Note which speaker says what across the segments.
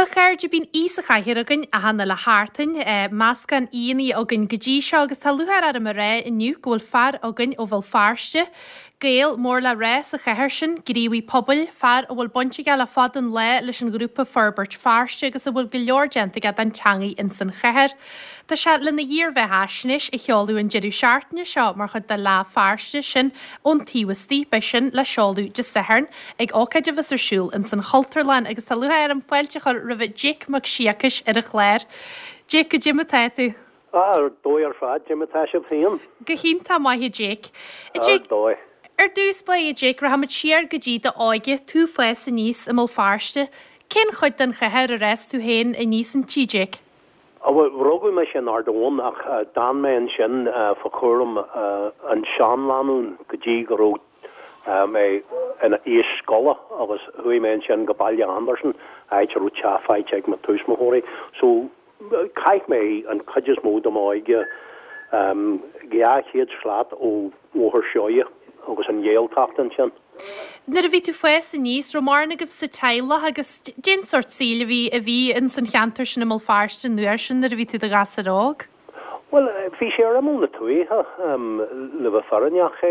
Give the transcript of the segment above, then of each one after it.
Speaker 1: Bhuel a chairde, bíonn aoi sa chathaoir againn achan uile sheachtain. Meascán aíonna againn go dtí seo agus tá lúcháir orm a rá inniu go bhfuil fear againn ó Bhéal Feirste, Gael mór le rá sa chathair sin, gníomhaí pobail, fear a bhfuil baint aige le fada an lá leis an ghrúpa Forbairt Feirste agus a bhfuil go leor déanta aige don teangaidh ins an chathair. Tá sé lena dhírbheathaisnéis a sheoladh an deireadh seachtaine seo mar chuid de Lá Feirste, sin ón taobh istigh. Beidh sin le seoladh Dé Sathairn ag ócáid a bheas ar siúl ins an Chultúrlann agus tá lúcháir orm fáilte a chur roimh Jake Mac Siacais ar an chlár. Jake, goidé mar atá tú?
Speaker 2: Ah, ar dóigh ar fad, goidé mar atá sibh féin?
Speaker 1: Go hiontach maith a Jake.
Speaker 2: A Jake, Ar dóigh.
Speaker 1: ar dtús báire a Jake, rachaimid siar go dtí d'óige, tú fás aníos i mBéal Feirste. Cén chuid den chathair ar fhás tú féin aníos inti, Jake?
Speaker 2: Á bhuel, rugadh mise in Ard Eoin ach d'fhan mé ansin fá chúram an seanlánúin go dtí go raibh mé in aois scoile agus chuaigh mé ansin go Baile Andarsan, áit a raibh teach faighte ag mo tuismitheoirí. So, chaith mé an chuid is mó de m'óige 200 slat ó Bhóthar Seoighe agus an Ghaeltacht ansin.
Speaker 1: Nuair a bhí tú fás aníos, raibh mórán agaibh sa teaghlach agus cén sórt saoil a bhí a bhí ins an cheantar sin i mBéal Feirste an uair sin nuair a bhí tú i do ghasúr óg?
Speaker 2: Bhuel, bhí sé ar imeall na tuaithe, le bheith fírinneach.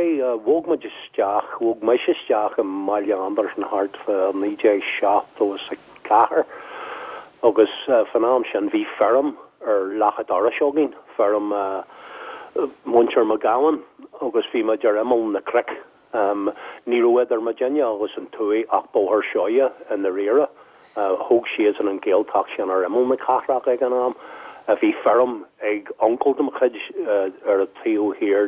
Speaker 2: Bhog muid isteach, bhog mise isteach i mBaile Andarsan thart fá 1974 agus fán am sin bhí feirm ar leac an dorais againn, feirm mhuintir McGowan agus bhí muid ar imeall na cnoic. Ní raibh idir muidinne agus an tuaith ach Bóthar Seoighe i ndáiríre. Thóg siadsan an Ghaeltacht sin ar imeall na cathrach ag an am. Bhí feirm ag uncail de mo chuid ar an taobh thiar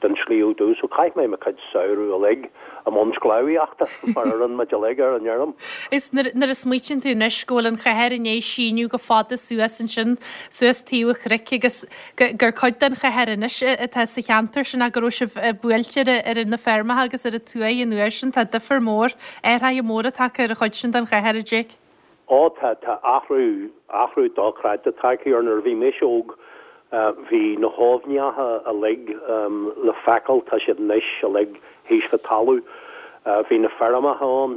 Speaker 2: den Sliabh Dubh so chaith mé mo chuid samhradh uilig i mbun sclábhaíochta mar a rinne muid uilig ar an fheirm.
Speaker 1: Is nuair a smaoitíonn tú anois go bhfuil an chathair i ndiaidh síneadh go fada suas ansin, suas taobh an chnoic agus gur cuid den chathair anois atá sa cheantar sin ach go raibh sibh buailte ar na feirmeacha agus ar an tuaith an uair sin. Tá difear mór, athraithe móra tagtha ar an chuid sin den chathair, a Jake.
Speaker 2: Ó tá, tá athrú, athrú dochreidte tagtha air. Nuair a bhí mise óg bhí na haibhneacha uilig le feiceáil, tá siad anois uilig thíos fá talamh. Bhí na feirmeacha ann,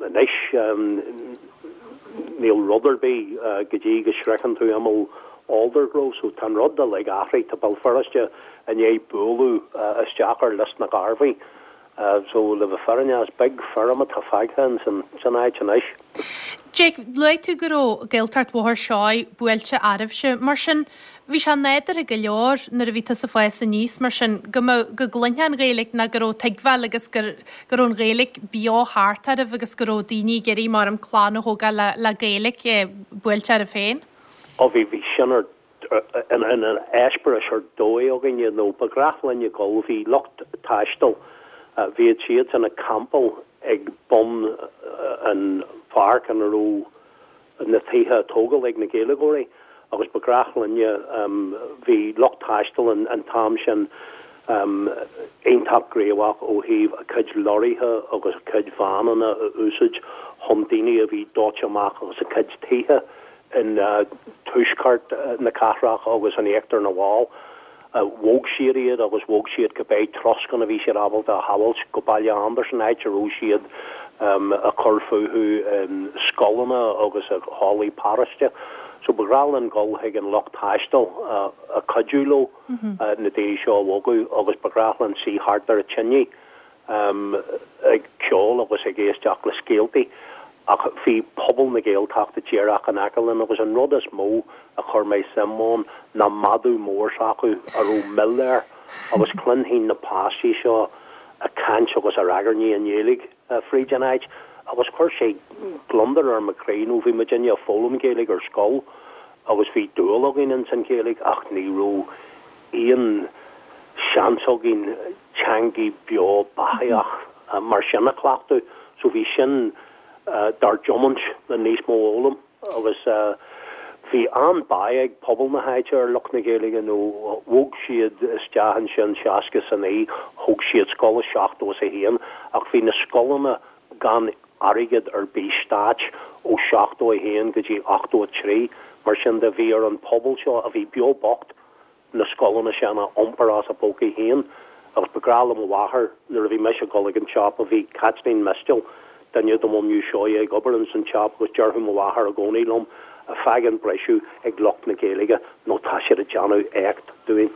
Speaker 2: anois níl rud ar bith go dtí go sroicheann tú imeall Aldergrove so tá an rud uilig athraithe, tá Béal Feirste i ndiaidh bualadh isteach ar Lios na gCarbhaí so le bheith fírinneach is beag feirm atá fágtha ins an áit anois.
Speaker 1: Jake, luaigh tú go raibh Gaeltacht Bhóthar Seoighe buailte oraibhse, mar sin bhí sé nádúrtha go leor nuair a bhí tusa ag fás aníos mar sin go mbeadh, go gcluinfeá an Ghaeilge nó go raibh tuigbheáil agus go go raibh an Ghaeilge beo thart oraibh agus go raibh daoine ag iarraidh mar clann a thógáil le le Gaeilge buailte oraibh féin.
Speaker 2: Ó bhí, bhí sin ar, ina eispéireas ar dóigh againne nó ba ghnách linn a dhul, bhí lucht taistil, bhíodh siadsan ag campáil ag bun an pháirc ina raibh na tithe á dtógáil ag na Gaeilgeoirí agus ba ghnách linne, bhí lucht taistil an t-am sin iontach gníomhach ó thaobh a gcuid lorraithe agus a gcuid veaineanna a úsáid chun daoine a bhí dóite amach as a gcuid tithe in tuaisceart na cathrach agus in íochtar na bhFál. Bhog siad iad agus bhog siad cibé troscán a bhí siad ábalta a shábháilt go Baile Andarsan, áit a raibh siad ag cur fúthu i scoileanna agus i hallaí paróiste. So ba ghnách linn dul chuig an lucht taistil ag cuidiú leo na daoine seo a bhogadh agus ba ghnách linn suí thart ar an tine ag ceol agus ag éisteacht le scéaltaí ach bhí pobal na Gaeltachta díreach in aice linn agus an rud is mó a chuir mé suim ann ná madadh mór s'acu a raibh mil air agus chluinfinn na páistí seo ag caint agus ag ragairní i nGaeilge fríd an áit agus chuir sé gliondar ar mo chroí nó bhí muidinne ag foghlaim Gaeilge ar scoil agus bhí dúil againn ins an Ghaeilge ach ní raibh aon seans againn teangaidh beo beathaitheach mar sin a chleachtadh so bhí sin dár dtiomáint le níos mó a fhoghlaim agus bhí an-bhail ag pobal na háite ar lucht na Gaeilge nó bhog siad isteach ansin 69 thóg siad scoil i 71 ach bhí na scoileanna gan airgead ar bith stáit ó 71 go dtí 83 mar sin de bhí ar an pobal seo a bhí beo bocht na scoileanna sin a iompar as a bpócaí féin agus ba ghnách le mo mháthair nuair a bhí mise ag dul ag an siopa bhí Caitlín Mistéil. duine de bhunadh Seoighe ag obair ins an tsiopa agus déarfadh mo mháthair i gcónaí liom, Fág an briseadh ag lucht na Gaeilge nó tá siad ag déanamh éacht dúinn.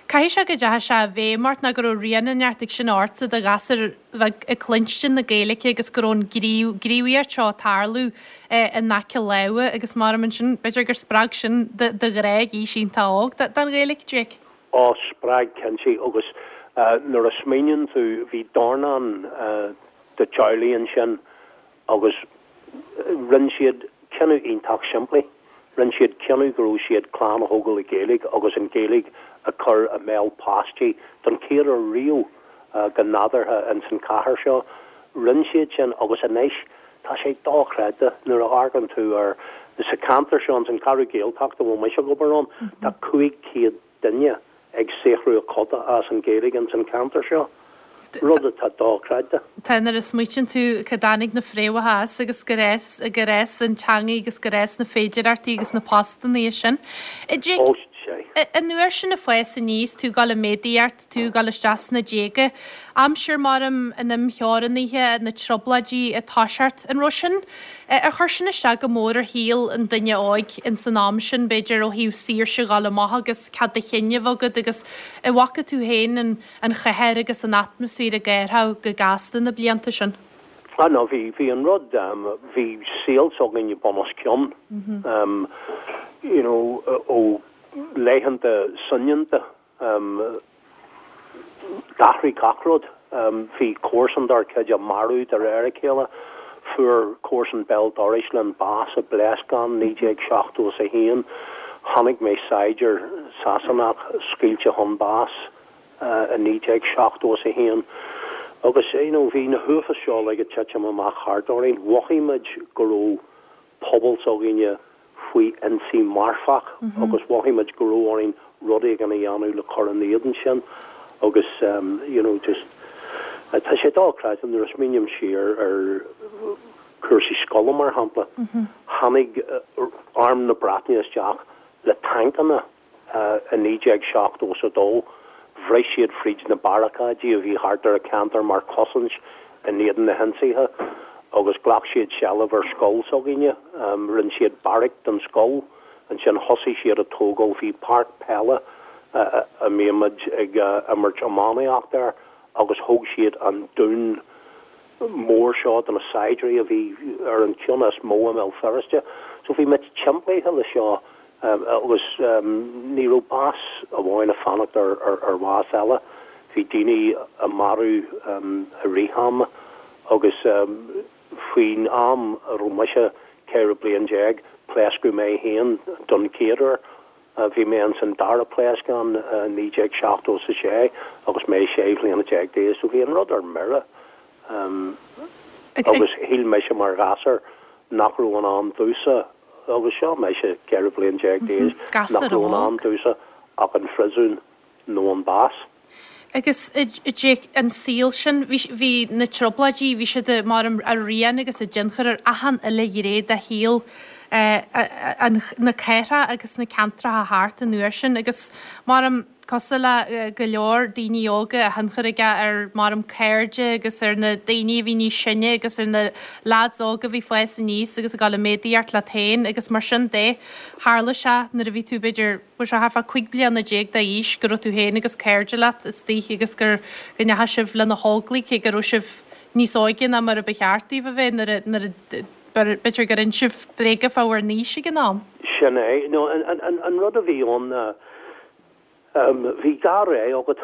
Speaker 1: Caithfidh sé go dteachaidh sé i bhfeidhm ort nó go raibh rian inteacht ag sin ortsa i do ghasúr bheag ag cluinstin na Gaeilge agus go raibh an ghníomhaíocht seo ag tarlú in aice láimhe agus mar ansin b'fhéidir gur spreag sin do ghrá ag aois iontach óg don Ghaeilge, Jake.
Speaker 2: Ó, spreag cinnte agus nuair a smaoiníonn tú bhí dornán de teaghlaigh ansin agus rinne siad cinneadh iontach simplí. Rinne siad cinneadh go raibh siad clann a thógáil i Gaeilge agus an Ghaeilge a chur i mbéal páistí don chéad uair riamh go nádúrtha ins an chathair seo. Rinne siad sin agus anois tá sé dochreidte nuair a amharcann tú ar sa cheantar seo ins an Cheathrú Gaeltachta a bhfuil mise ag obair ann tá 500 duine ag saothrú a coda as an Ghaeilge ins an cheantar seo, rud atá dochreidte.
Speaker 1: Tá, nuair a smaoitíonn tú cá dtáinig na fréamhacha as agus gur fhás, gur fhás an teangaidh agus gur fhás na féidireachtaí agus na postannaí as sin. Jake,
Speaker 2: Ó, sea.
Speaker 1: an uair sin ag fás aníos, tú ag dul ag méadaíocht, tú ag dul isteach sna déaga, aimsir maram an imtheorannaithe, na trioblóidí ag toiseacht, an raibh sin, Ar chuir sin isteach go mór ar shaol an duine óig ins an am sin, b'fhéidir, ó thaobh saoirse dhul amach agus cead do chinn a bheith agat agus an bhfaca tú féin an an chathair agus an atmaisféar ag athrú go gasta na blianta sin?
Speaker 2: Ah no, bhí, bhí an rud, bhí saol s'againne bun os cionn, you know, ó laethanta soineanta D'athraigh gach rud. Bhí comharsan dár gcuid á marú de réir a chéile. Fuair comharsan béal dorais linn bás i bpléascán 1971. Chonaic mé saighdiúir Sasanach scaoilte chun báis i 1971. Agus you know bhí na huafáis seo uilig ag titim amach thart orainn. Mhothaigh muid go raibh pobal s'againne faoi ionsaí marfach agus mhothaigh muid go raibh orainn rud éigin a dhéanamh le cur ina éadan sin agus you know just tá sé dochreidte nuair a smaoiním siar ar chúrsaí scoile mar shampla, tháinig Arm na Breataine isteach le tancanna I 1972, bhris siad fríd na barricáidí a bhí thart ar an cheantar mar chosaint in éadan na hionsaithe agus ghlac siad seilbh ar scoil s'againne. Rinne siad beairic den scoil. Ansin thosaigh siad ag tógáil, bhí páirc peile a mbíodh muid ag imirt iománaíocht air agus thóg siad an dún mór seo de na saighdiúirí a bhí ar an cheann is mó i mBéal Feirste. So bhí muid timpeallaithe le seo agus ní raibh bás amháin ag fanacht ar bhás eile. Bhí daoine á marú i rith ama agus faoin am a raibh mise 14 bliain, pléascadh mé féin don chéad uair. Bhí mé ins an dara pléascán i 1976 agus mé 16 bhliana d'aois so bhí an rud ar mire agus shíl mise mar ghasúr nach raibh i ndán domhsa agus seo mise 14 bliain d'aois nach raibh i ndán domhsa ach an phriosún nó an bás.
Speaker 1: Agus Jake, an saol sin, bhí, bhí na trioblóidí, bhí siad mar a rian agus a dtionchar ar achan uile ghné de shaol an, na cathrach agus na ceantracha thart an uair sin agus mar cosúil le go leor daoine óga a thionchar aige ar mar cairde agus ar na daoine a bhí níos sine agus ar na lads óga a bhí fás aníos agus ag dul i méadaíocht leat féin agus mar sin de tharla sé nuair a bhí tú b'fhéidir Bhí sé thart fá 15 bliana d'aois go raibh tú féin agus cairde leat istigh agus gur, go ndeachaigh sibh le na hÓglaigh cé go raibh sibh níos óige ná mar a ba cheart daoibh a bheith nuair a, nuair a, b'fhéidir gur inis sibh bréaga fá bhur n-aois ag an am.
Speaker 2: Sin é. No, an, an, an rud a bhí ann ná, bhí dhá rogha agat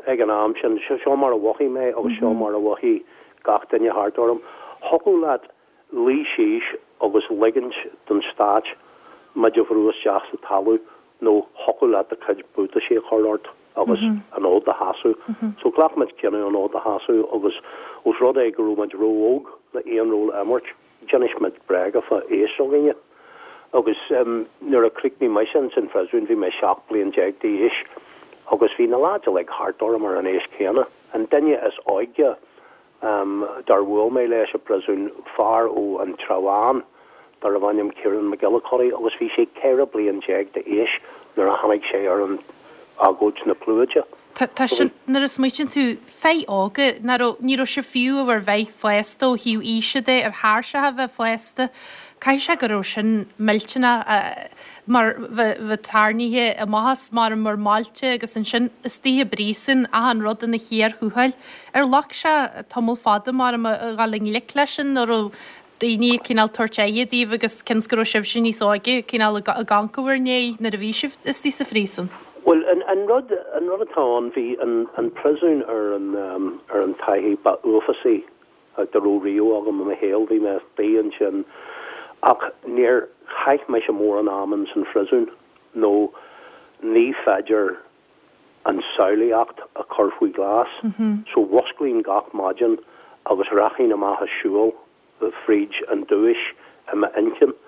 Speaker 2: ag an am sin. Seo mar a mhothaigh mé agus seo mar a mhothaigh gach duine thart orm. Thiocfadh leat luí síos agus ligint don stát muid a bhrú isteach sa talamh nó thiocfadh leat do chuid buataisí a chur ort agus an fhód a sheasamh. So ghlac muid cinneadh an fhód a sheasamh agus ós rud é go raibh muid ró-óg le aon ról a imirt, d'inis muid bréaga fá aois s'againne. Agus nuair a chríochnaigh mise ins an phriosún bhí mé 17 bliain d'aois agus bhí na lads uilig thart orm ar an aois chéanna. An duine is óige dár bhuail mé leis i bpriosún, fear ó An Trá Bháin darbh ainm Kieran McGillicuddy agus bhí sé 14 bliain d'aois nuair a tháinig sé ar an agóid na Clúide.
Speaker 1: Tá sin, nuair a smaoitíonn tú, fir óga, nach raibh, ní raibh sibh fiú i bhur bheith fásta ó thaobh aoise de, ar thairseach a bheith fásta, caithfidh sé go raibh sin millteanach mar bheith tarraingthe amach as mar bhur mbailte agus ansin istigh i bpríosún, achan rud ina chíor thuathail. Ar ghlac sé tamall fada mar a dhul i ngleic leis sin nó raibh daoine ag cineál tabhairt aire daoibh agus cionn is go raibh sibhse níos óige cineál ag amharc i bhur ndiaidh nuair a bhí sibh istigh sa phríosún?
Speaker 2: Bhuel, an rud, an rud atá ann, bhí an príosún ar an, ar an taithí ba uafásaí dá raibh riamh agam i mo shaol. Bhí mé istigh ansin ach níor chaith mise mórán ama ins an phríosún nó ní féidir an tsamhlaíocht a chur faoi ghlas. So mhusclaínn gach maidin agus rachainn amach a siúl fríd an dubhais i m'inchinn.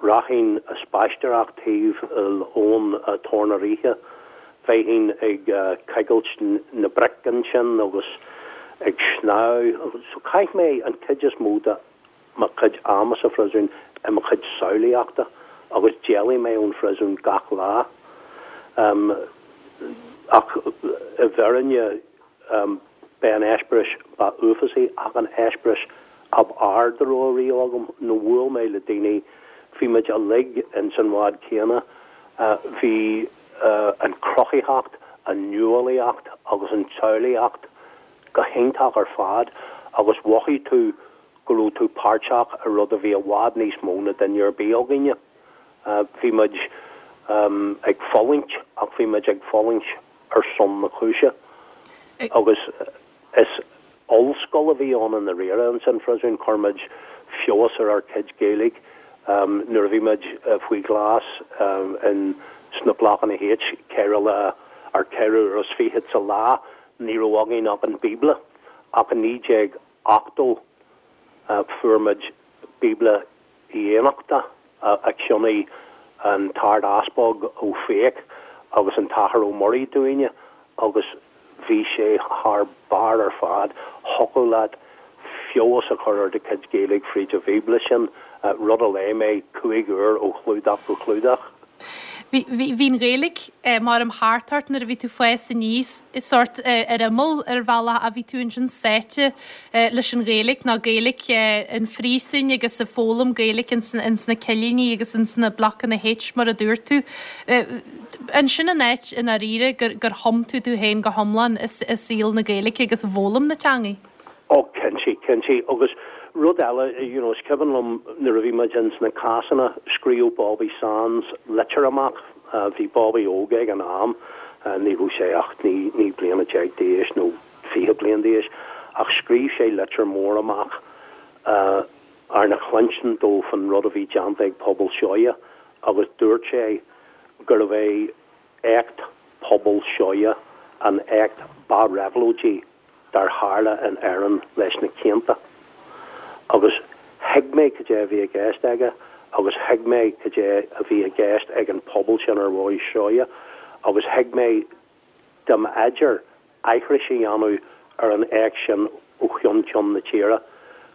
Speaker 2: Rachainn a spaisteoireacht taobh l'abhainn Tor na Ríthe. Bheinn ag coigilt na bric ansin agus ag snámh. So chaith mé an chuid is mó de mo chuid ama sa phriosún i mo chuid samhlaíochta agus d'éalaigh mé ón phriosún gach lá. Ach i bhfírinne, b'é an eispéireas ba uafásaí ach an eispéireas ab fhearr dá raibh riamh agam nó bhuail mé le daoine, bhí muid uilig ins an bhád céanna, bhí an chruthaitheacht, an nuálaíocht agus an tsamhlaíocht go hiontach ar fad agus mhothaigh tú go raibh tú páirteach i rud a bhí i bhfad níos mó na duine ar bith againne. Bhí muid ag fulaingt ach bhí muid ag fulaingt ar son na cúise. Agus is ollscoil a bhí ann i ndáiríre ins an phriosún. Chuir muid feabhas ar ár gcuid Gaeilge nuair a bhí muid faoi ghlas in sna Blocanna H, 4 lá ar 24 uair sa lá, ní raibh againn ach an Bíobla. Ach i 1980 fuair muid Bíobla Uí Fhiannachta a cheannaigh an tArd-Easpag Ó Fiaich agus an tAthair Ó Muirí dúinne agus bhí sé thar barr ar fad. Thiocfadh leat feabhas a chur ar do chuid Gaeilge fríd an Bhíobla sin, rud a léigh mé 5 uair ó chlúdach go clúdach.
Speaker 1: Bhí, bhí an Ghaeilge maram thart ort nuair a bhí tú ag fás aníos, sórt ar imeall ar bhealach ach bhí tú ansin sáite leis an Ghaeilge, nó Gaeilge an phríosúin agus ag foghlaim Gaeilge ins na cillíní agus ins na blocanna H mar a dúirt tú. An sin an áit i ndáiríre gur, gur thum tú tú féin go hiomlán i saol na Gaeilge agus i bhfoghlaim na teangaidh?
Speaker 2: Ó, cinnte, cinnte. Agus rud eile, you know, is cuimhin liom nuair a bhí muid ins na cásanna, scríobh Bobby Sands litir amach, bhí Bobby óg ag an am, ní raibh sé ach 19 bliana d'aois nó 20 bliain d'aois, ach scríobh sé litir mór amach arna chluinstin dó faoin rud a bhí déanta ag Pobal Seoighe agus dúirt sé gurbh é éacht Pobal Seoighe an éacht ba réabhlóidí dár tharla in Éirinn leis na cianta. Agus thuig mé cad é a bhí i gceist aige agus thuig mé cad é a bhí i gceist ag an pobal sin ar Bhóthar Seoighe agus thuig mé dá mb'fhéidir aithris a dhéanamh ar an éacht sin ó cheann ceann na tíre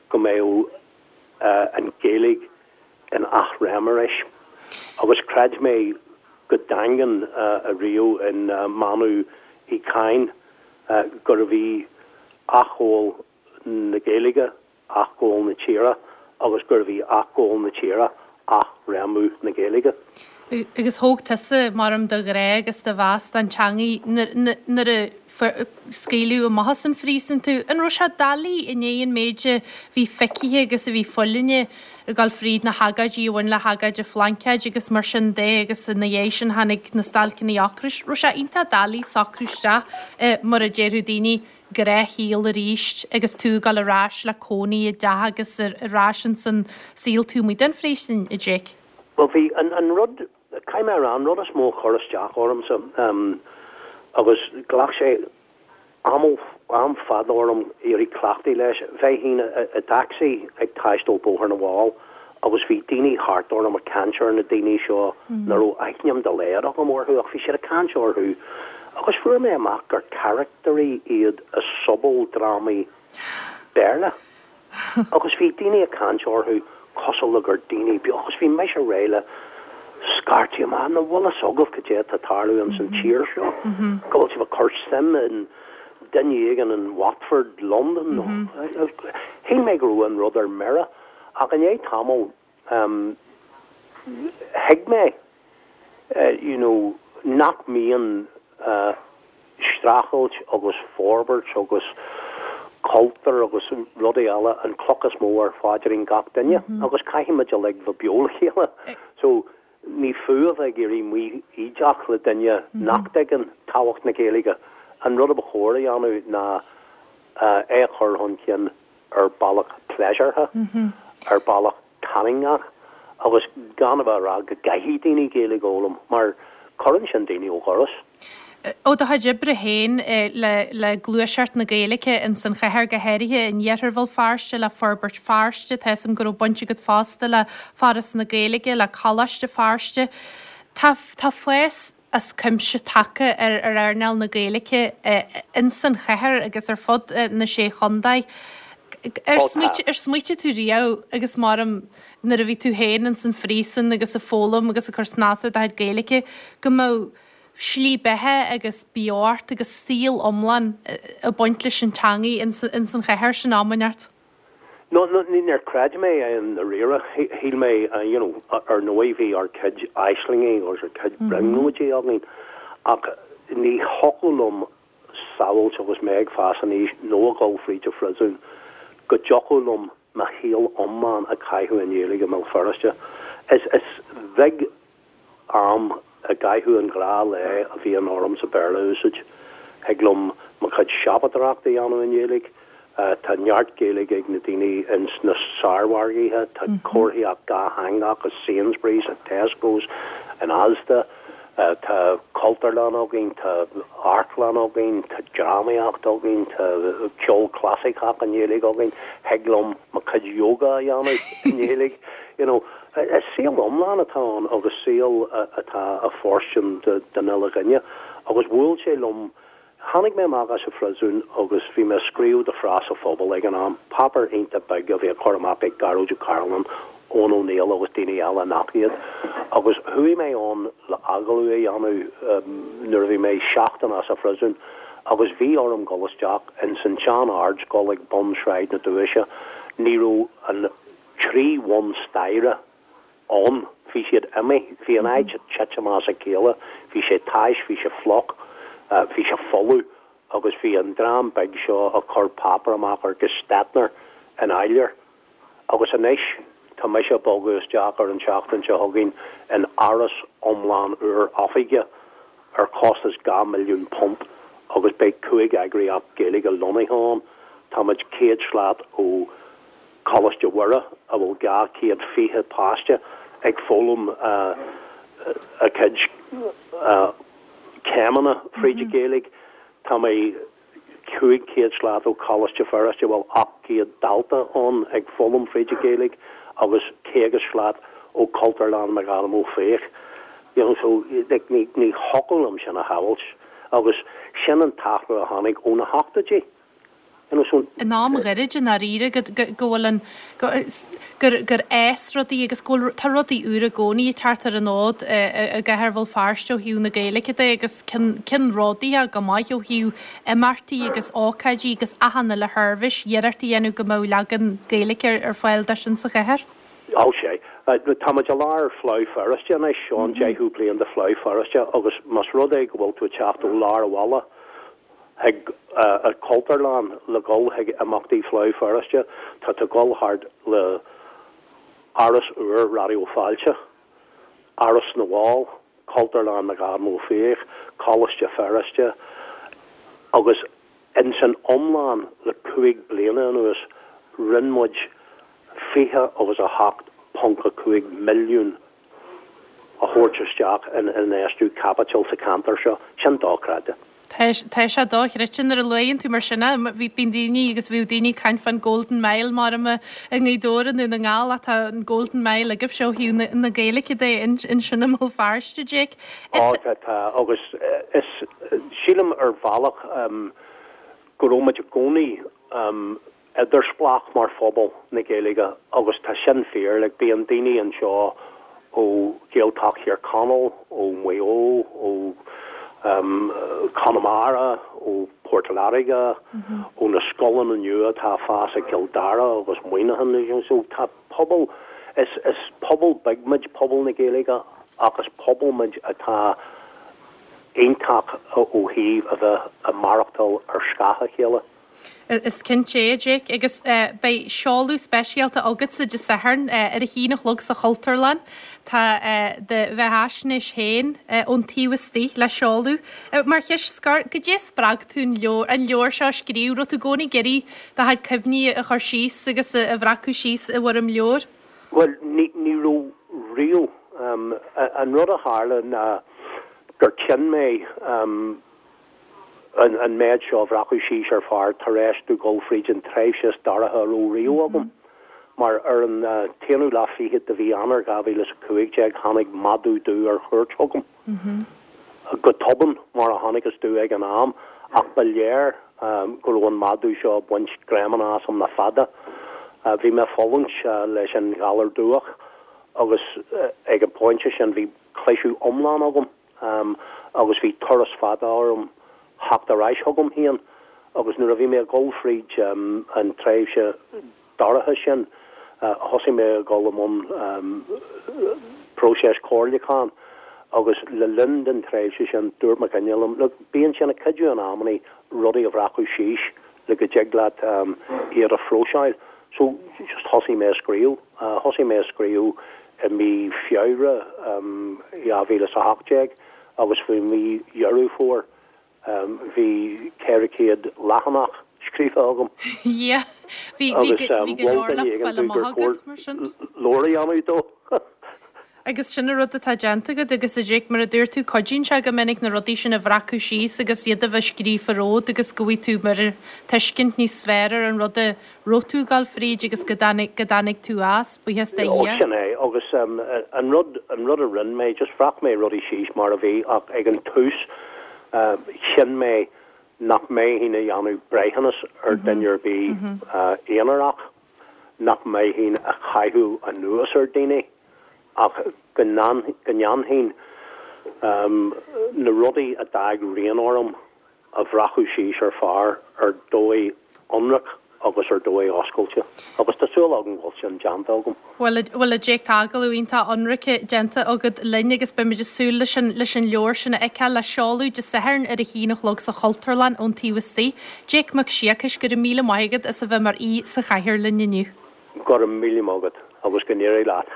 Speaker 2: go mbeadh an Ghaeilge in athréim arís. Agus chreid mé go daingean ariamh in mbeannú Uí Chadhain gurbh í athghabháil na Gaeilge athghabháil na tíre agus gurbh í athghabháil na tíre athréimiú na Gaeilge.
Speaker 1: Agus thóg tusa, maram, do ghrá agus do mheas don teangaidh nuair a scaoileadh amach as an phríosún tú. An raibh sé doiligh i ndiaidh an méid a bhí feicthe agus a bhí fulaingthe ag dul fríd na hagóidí a bhain le hagóid an Phlaincéid agus mar sin de agus ina dhiaidh sin tháinig na stailceanna ocrais. Raibh sé iontach doiligh socrú isteach i, mar a déarfadh daoine, gnáthshaol arís agus tú ag dul ar ais le cónaí i dteach agus ar ais ins an saol taobh amuigh den phríosún, a Jake?
Speaker 2: Bhuel bhí an, an rud, caithfidh mé a rá, an rud is mó a chuir isteach ormsa agus ghlac sé am, am fada orm éirí cleachtaithe leis. Bheinn i dtacsaí ag taisteal Bóthar na bhFál agus bhí daoine thart orm ag caint ar na daoine seo nach raibh aithne dá laghad agam orthu ach bhí siad ag caint orthu agus fuair mé amach gur caractairí iad i sobaldrámaí Béarla agus bhí daoine ag caint orthu cosúil le gur daoine beo agus bhí mise réidh le. scairtí amach, an bhfuil fhios agaibh cad é atá ag tarlú ins an tír seo, go bhfuil sibh ag cur suim in duine éigin in Watford, Londain nó. Shíl mé go raibh an rud ar mire ach i ndiaidh tamaill thuig mé you know nach mbíonn streachailt agus forbairt agus cultúr agus rudaí eile an cloch is mó ar phaidrín gach duine agus caithfidh muid uilig bheith beo le chéile. So ní fiú a bheith ag éirí mífhoighdeach le duine nach dtuigeann tábhacht na Gaeilge. An rud a ba chóir a dhéanamh ná é a chur chun cinn ar bealach pléisiúrtha, ar bealach tarraingteach agus gan a bheith ag rá go gcaithfidh daoine Gaeilge a fhoghlaim mar cuireann sin daoine ó dhoras.
Speaker 1: Ó do chuid oibre féin le gluaiseacht na Gaeilge ins an chathair, go háirithe in iarthar Bhéal Feirste, le Forbairt Feirste, tá 'fhios a'm go raibh baint agat fosta le Foras na Gaeilge, le Coláiste Feirste. Tá tá fás as cuimse tagtha ar earnáil na Gaeilge ins an chathair agus ar fud na Sé Chontae. Ar smaoitigh tú riamh agus maram nuair a bhí tú féin ins an phríosún agus ag foghlaim agus ag cur snas ar do chuid Gaeilge go mbeadh slí beatha agus beocht agus saol iomlán ag baint leis an teangaidh ins an chathair sin am inteacht?
Speaker 2: No, no, níor chreid mé é i ndáiríre. Shíl mé, you know, ar ndóigh bhí ár gcuid aislingí agus ár gcuid brionglóidí againn ach ní thiocfadh liom samhailt agus mé ag fás aníos nó ag dul fríd an phriosún go dtiocfadh liom mo shaol iomlán a chaitheamh i nGaeilge i mBéal Feirste. Is, is bheag am i gcaitheamh an ghnáth-lae a bhíonn ormsa Béarla a úsáid. Thig liom mo chuid siopadóireachta a dhéanamh i nGaeilge. Tá neart Gaeilge ag na daoine ins na sármhargaithe. Tá comharthaíocht dhátheangach i Sainsbury's, i Tesco's, in Asda. Tá cultúrlann againn, tá amharclann againn, tá drámaíocht againn, tá ceol clasaiceach i nGaeilge againn. Thig liom mo chuid yoga a dhéanamh i nGaeilge. You know, is saol iomlán atá ann agus saol atá ag fóirstean don uile dhuine. Agus bhuail sé liom, tháinig mé amach as an phriosún agus bhí mé ag scríobh do Phreas an Phobail ag an am, páipéar iontach beag a bhí á chur amach ag Gearóid Ó Cairealláin, Eoin Ó Néill agus daoine eile nach iad. Agus chuaigh mé ann le agallamh a dhéanamh nuair a bhí mé seachtain as an phriosún agus bhí orm dul isteach ins an tsean-ardscoil ag bun Shráid na Dúiche. Ní raibh an. 3 bhun staighre ann. Bhí siad imithe. Bhí an áit ag titim as a chéile. Bhí sé tais, bhí sé fliuch, bhí sé folamh agus bhí an dream beag seo ag cur páipéar amach ar Gestetner in áiléar. Agus anois tá mise ag bogadh isteach ar an tseachtain seo chugainn in áras iomlán úr oifige ar chostas £2 milliún agus beidh 5 eagraíocht Gaeilge lonnaithe ann. Táimid 100 slat ó Coláiste Mhuire, a bhfuil 220 páiste ag foghlaim a gcuid céimeanna fríd an Ghaeilge. Tá mé 500 slat ó Choláiste Feirste, a bhfuil 800 dalta ann ag foghlaim fríd an Ghaeilge, agus 50 slat ó Chultúrlann McAdam Ó Fiaich. You know, so like ní thiocfadh liom sin a shamhailt agus sin an t-athrú a tháinig ó na hochtóidí.
Speaker 1: In am ghairid i ndáiríre go bhfuil an, gur gur fhás rudaí agus go bhfuil, tá rudaí úra i gcónaí ag teacht ar an fhód i gcathair Bhéal Feirste ó thaobh na Gaeilge de agus ceannródaíoch go maith ó thaobh imeachtaí agus ócáidí agus achan uile sheirbhís, iarracht a dhéanamh go mbeadh leagan Gaeilge ar fáil de sin sa chathair.
Speaker 2: Ó sea. Táimid i lár Fleadh Feirste anois, seo an deichiú bliain de Fleadh Feirste agus más rud é go bhfuil tú ag teacht ó lár an bhaile, chuig an Chultúrlann le dhul chuig imeachtaí Fleadh Feirste. Tá tú ag dul thart le Áras úr Raidió Fáilte, Áras na bhFál, Cultúrlann McAdam Ó Fiaich, Coláiste Feirste agus ins an iomlán le 5 bliana anuas rinne muid 28.5 milliún a thabhairt isteach in infheistiú caipitil sa cheantar seo, sin dochreidte.
Speaker 1: Tá, tá sé dochreidte nuair a luann tú mar sin é. Bhí, bíonn daoine agus bhíodh daoine ag caint fán Golden Mile mar i nGaoth Dobhair i nDún na nGall ach tá an Golden Mile agaibhse ó thaobh na, na Gaeilge de ansin i mBéal Feirste, Jake.
Speaker 2: Á, tá, tá agus is, sílim ar bhealach go raibh muid i gcónaí idirspleách mar phobal na Gaeilge agus tá sin fíor, like bíonn daoine anseo. ó Ghaeltacht Thír Chonaill, ó Mhaigh Eo, ó Chonamara, ó Port Láirge, ó na scoileanna nua atá ag fás i gCill Dara agus Muineachán. So tá pobal, is is pobal beag muid, pobal na Gaeilge, ach is pobal muid atá iontach ó thaobh a bheith ag maireachtáil ar scáth a chéile.
Speaker 1: Is cinnte é, a Jake, agus beidh seoladh speisialta agatsa Dé Sathairn ar a haon a chlog sa Chultúrlann. Tá do bheathaisnéis féin ón taobh istigh le seoladh. Mar cheist scoir, goidé a spreag tú an leabhar, an leabhar seo a scríobh? Raibh tú i gcónaí ag iarraidh do chuid cuimhní a chur síos agus a bhreacadh síos i bhfoirm leabhair?
Speaker 2: Bhuel, ní raibh riamh. An rud a tharla ná gur chinn mé, an méid seo a bhreacadh síos ar phár tar éis domh dul fríd an tréimhse is dorcha a raibh riamh agam, mar ar an t-aonú lá fichead de mhí Eanáir 2015 tháinig madadh dubh ar chuairt chugam. Go tobann, mar a chonacthas domh ag an am, ach ba léir go raibh an madadh seo ag baint greamanna asam le fada. Bhí mé ag fulaingt leis an ghalar dubhach agus ag an bpointe sin bhí cliseadh iomlán agam. agus bhí turas fada orm theacht ar ais chugam féin agus nuair a bhí mé ag dul fríd an tréimhse dorcha sin thosaigh mé ag dul i mbun próiseas comhairliúcháin agus le linn den tréimhse sin dúirt mo dhuine liom look bíonn sé ina chuidiú in amannaí rudaí a bhreacadh síos le go dtig leat iad a phróiseáil. So just thosaigh mé ag scríobh. Thosaigh mé ag scríobh i mí Feabhra 2018 agus faoi mhí Dheireadh Fómhair bhí 400 leathanach scríofa agam.
Speaker 1: Yeah. Bhí bhí bhí go leor le fáil amach agat mar sin.
Speaker 2: Leabhar a dhéanamh dó.
Speaker 1: Agus sin an rud atá déanta agat agus a Jake, mar a dúirt tú, cuidíonn sé go minic na rudaí sin a bhreacadh síos agus iad a bheith scríofa romhat agus go bhfaighidh tú mar tuiscint níos fearr ar an rud a raibh tú ag dul fríd agus go dtáinig, go dtáinig tú as, buíochas do
Speaker 2: Ó, Dhia. sin é. Agus an rud, an rud a rinne mé, just bhreac mé rudaí síos mar a bhí ach ag an tús chinn mé nach mbeinn a dhéanamh breithiúnas ar duine ar bith aonarach, nach mbeinn a chaitheamh anuas ar daoine ach go ndéanfainn na rudaí a d'fhág rian orm a bhreacadh síos ar phár ar dóigh ionraic agus ar dóigh oscailte. Agus tá súil agam go bhfuil sin déanta agam.
Speaker 1: Bhuel, bhuel a Jake, tá agallamh iontach ionraic déanta agat linn agus beimid ag súil leis an, leis an leabhar sin a fheiceáil le seoladh Dé Sathairn ar a haon a chlog sa Chultúrlann ón taobh istigh. Jake Mac Siacais, go raibh míle maith agat as a bheith mar aoi sa chathaoir linn inniu.
Speaker 2: Go raibh míle maith agat agus go n-éirí leat.